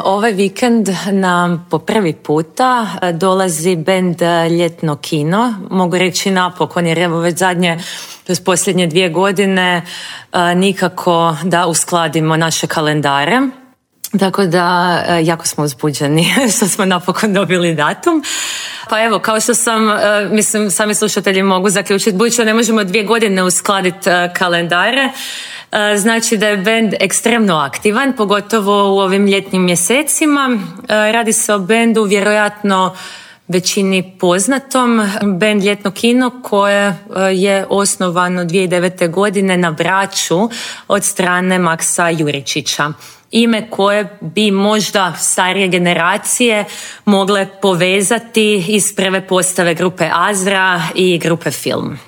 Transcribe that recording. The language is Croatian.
Ovaj vikend nam po prvi puta dolazi bend Ljetno kino. Mogu reći napokon, jer evo već posljednje 2 godine nikako da uskladimo naše kalendare. Tako da jako smo uzbuđeni što smo napokon dobili datum. Pa evo, kao što sam, sami slušatelji mogu zaključiti, budući da ne možemo 2 godine uskladiti kalendare, znači da je bend ekstremno aktivan, pogotovo u ovim ljetnim mjesecima. Radi se o bendu vjerojatno većini poznatom, bend Ljetno kino, koje je osnovano 2009. godine na Braču od strane Maksa Juričića. Ime koje bi možda starije generacije mogle povezati iz prve postave grupe Azra i grupe Film.